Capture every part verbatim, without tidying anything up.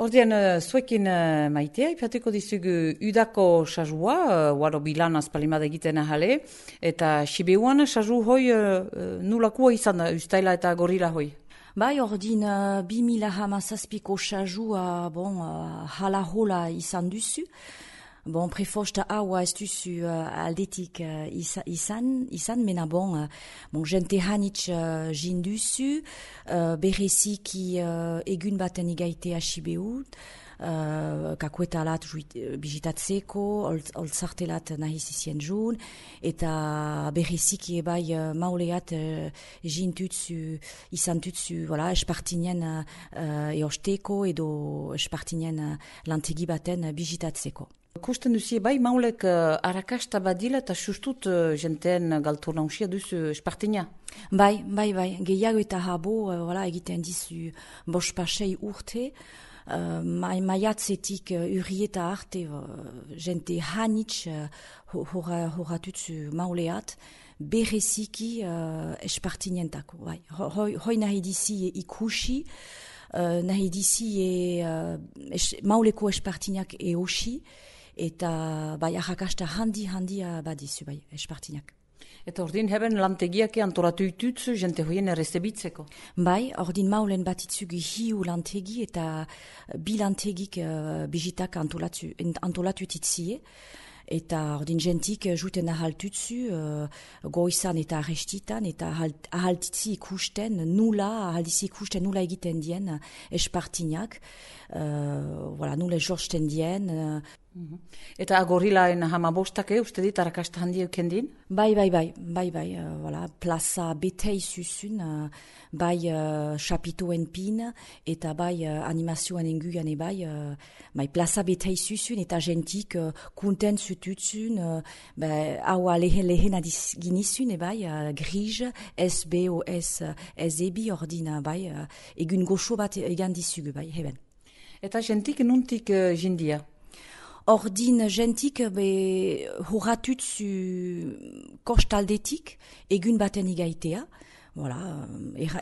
Ordean, uh, zuekin uh, maitea, ipateko dizugu udako sajua, uh, waro bilan azpalimada egiten ahale, eta Sibeuan saju hoi uh, nulakua izan da, ustaila eta gorila hoi. Bai, ordin uh, bi mila hamazazpiko sajua, bon, uh, hala hola izan duzu. Bon, prefosta haua ez duzu uh, aldetik uh, izan, izan, mena bon, uh, bon jente hanitz uh, jin duzu, uh, bereziki uh, egun baten igaitea Sibeut, uh, kakuetalat bizitatzeko, oltzartelat nahiz izien jun, eta bereziki ebai uh, mauleat uh, jin tutzu, izan tutzu, voilà, espartinen uh, eosteko edo espartinen uh, lantegi baten uh, bizitatzeko. Kusten duzie bai maulek uh, arrakasta badila eta sustut uh, jenteen galtu nausia duzu espartina? Bai, bai, bai. Gehiago eta habo uh, voilà, egiten dizu bos pasei urte. Uh, ma, maiatzetik uh, urrieta arte uh, jente hanitz uh, horatutzu mauleat bereziki uh, espartinentako. Bai. Hoi, hoi nahi dizi ikusi, uh, nahi dizi e, uh, es, mauleko espartinak eosi, eta bai arrakasta handi handia badizu bai espartinak. Eta ordin heben lantegiak antolatu itutzu jente hoien errezebitzeko? Bai, ordin maulen batitzugu hiu lantegi eta bi lantegik uh, bizitak antolatu, antolatu titzie. Eta ordin jentik juten ahaltutzu uh, goizan eta arrestitan eta ahaltitzi ikusten nula, ahaltitzi ikusten nula egiten dien espartinak, uh, voilà, nula jorsten dien. Uh, mm-hmm. Eta agorilaen hamabostak uste dit arrakasta handi eukendin? Bai, bai, bai, bai, bai, uh, voilà, plaza betei zuzun, uh, bai uh, chapitoen pin, eta bai uh, animazioan enguan ebai, uh, bai plaza betei zuzun, eta jentik uh, kunten zututzun, uh, bai, haua lehen lehen ginizun ebai, uh, grij, S B O S S E B ordina, bai, uh, egun goxo bat egan dizugu, bai, heben. Eta jentik nuntik uh, jindia? Ordin jentik be horatutzu kostaldetik egun baten igaitea. Voilà,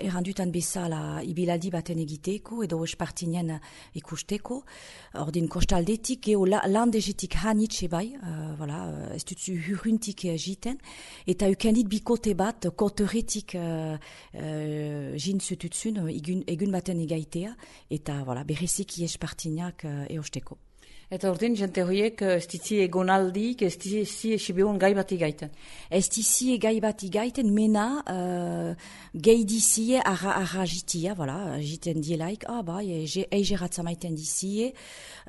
errandutan bezala ibilaldi baten egiteko edo espartinen ikusteko. Ordin kostaldetik geo landejetik hanitxe bai, uh, voilà, ez dutzu hurruntik jiten. Eta ukendit bikote bat koteretik uh, uh, jintzututzun egun, egun baten igaitea. Eta voilà, bereziki espartinak uh, eosteko. Eta ordin, jente horiek ez dizi egonaldik, ez dizi Sibeun gai bat igaiten? Ez dizi gai bat igaiten, mena uh, gehi dizie arra, arra jitia, voilà, jiten dielaik, ah ba, eigeratza maiten dizie,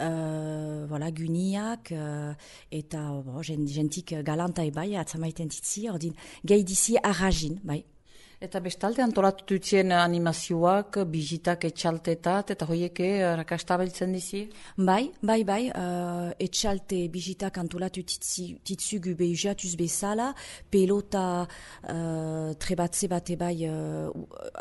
uh, voilà, guniak, uh, eta bo, jentik galanta ebai, atzamaiten ditzi, ordin, gehi dizie arra jin, bai. Eta bestalde antolatu dutzien animazioak, bizitak etxaltetat, eta hoieke rakasta beltzen dizi? Bai, bai, bai, uh, etxalte bizitak antolatu titzugu behiatuz bezala, pelota uh, trebatze bat ebai uh,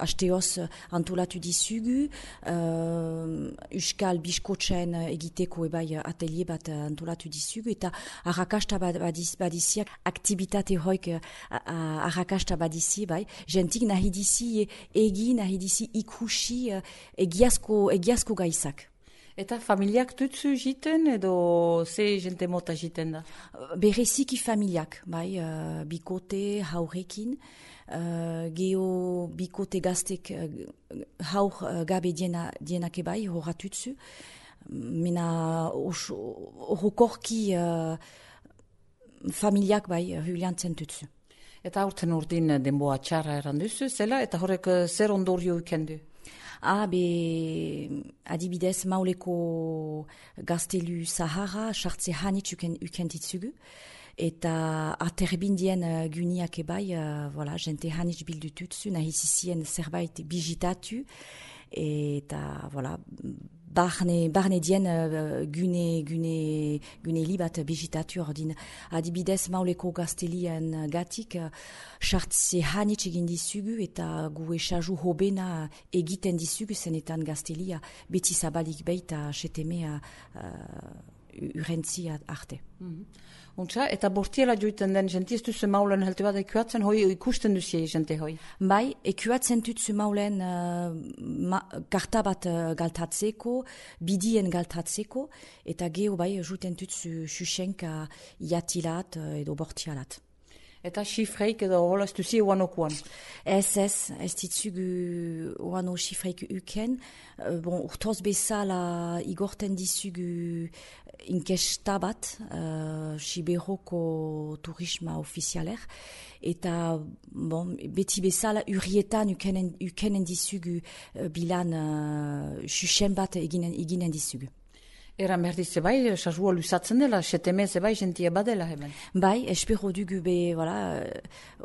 hasteoz antolatu dizugu, uh, uskal biskotzen egiteko ebai atelier bat antolatu dizugu, eta arrakasta badiziak, aktivitate hoik arrakasta badizi, bai, jentik nahi dizi egi, nahi dizi ikusi egiazko, egiazko gaizak. Eta familiak tutzu jiten edo ze jente mota jiten da? Bereziki familiak, bai, uh, bikote haurekin, uh, geho bikote gaztek uh, haur uh, gabe diena, dienak ebai horatutzu, mena horrokorki uh, familiak bai huliantzen tutzu. Eta aurten urdin denboa txarra eranduzu, zela, eta horrek zer ondorio ikendu? Ah, be, adibidez, mauleko gaztelu Sahara, sartze hanitz ukentitzugu, eta aterbindien uh, guniak ebai, uh, voilà, jente hanitz bildututzu, nahi zizien zerbait bizitatu, eta, voilà, barne, barne dien uh, gune, gune, gune libat bizitatu ordin. Adibidez, mauleko gaztelien gatik, sartze uh, hanitz egin dizugu eta gu esaju hobena egiten dizugu zenetan gaztelia beti zabalik beita setemea uh, urrentzi arte. Mm-hmm. Untsa, eta bortiela joiten den jenti ez duzu maulen helte bat ekuatzen hoi ikusten duzie jente hoi? Bai, ekuatzen dutzu maulen uh, ma, karta bat uh, galtatzeko, bidien galtatzeko, eta geho bai juten dutzu xuxenka iatilat uh, edo bortialat. Eta xifreik edo hola ez duzie uanokuan? Ez ez, ez ditzugu uano xifreik uken. Uh, bon, urtoz bezala igorten dizugu inkesta bat, uh, Siberoko turisma ofizialer, eta bon, beti bezala urrietan ukenen, ukenen dizugu uh, bilan uh, xuxen bat eginen, eginen dizugu. Eran behar dize bai, sajua lusatzen dela, setemeze bai, jentia badela heben. Bai, espero dugu be, voilà,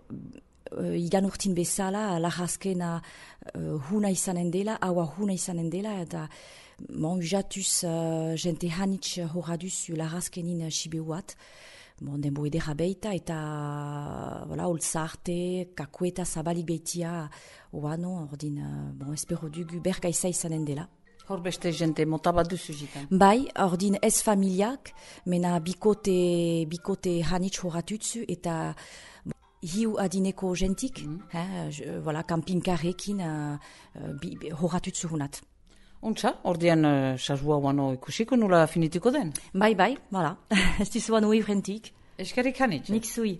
uh, igan urtin bezala, lajazkena uh, huna izanen dela, haua huna izanen dela, eta bon, ujatuz uh, jente hanitz horaduz lajazkenin sibeuat, bon, denbo edera beita, eta voilà, olzarte, kakueta zabalik beitia, oano, ordin, uh, bon, espero dugu bergaiza izanen dela. Hor beste jente mota bat duzu jitan. Bai, ordin ez familiak, mena bikote, bikote hanitz horatutzu, eta bon, hiu adineko jentik, mm. eh, voilà, kampinkarrekin uh, uh, horatutzu hunat. Untsa, ordean uh, sajua uano ikusiko nula finituko den? Bai, bai, voilà, ez dizu uano urrentik. Eskerrik hanitz. Nik zui.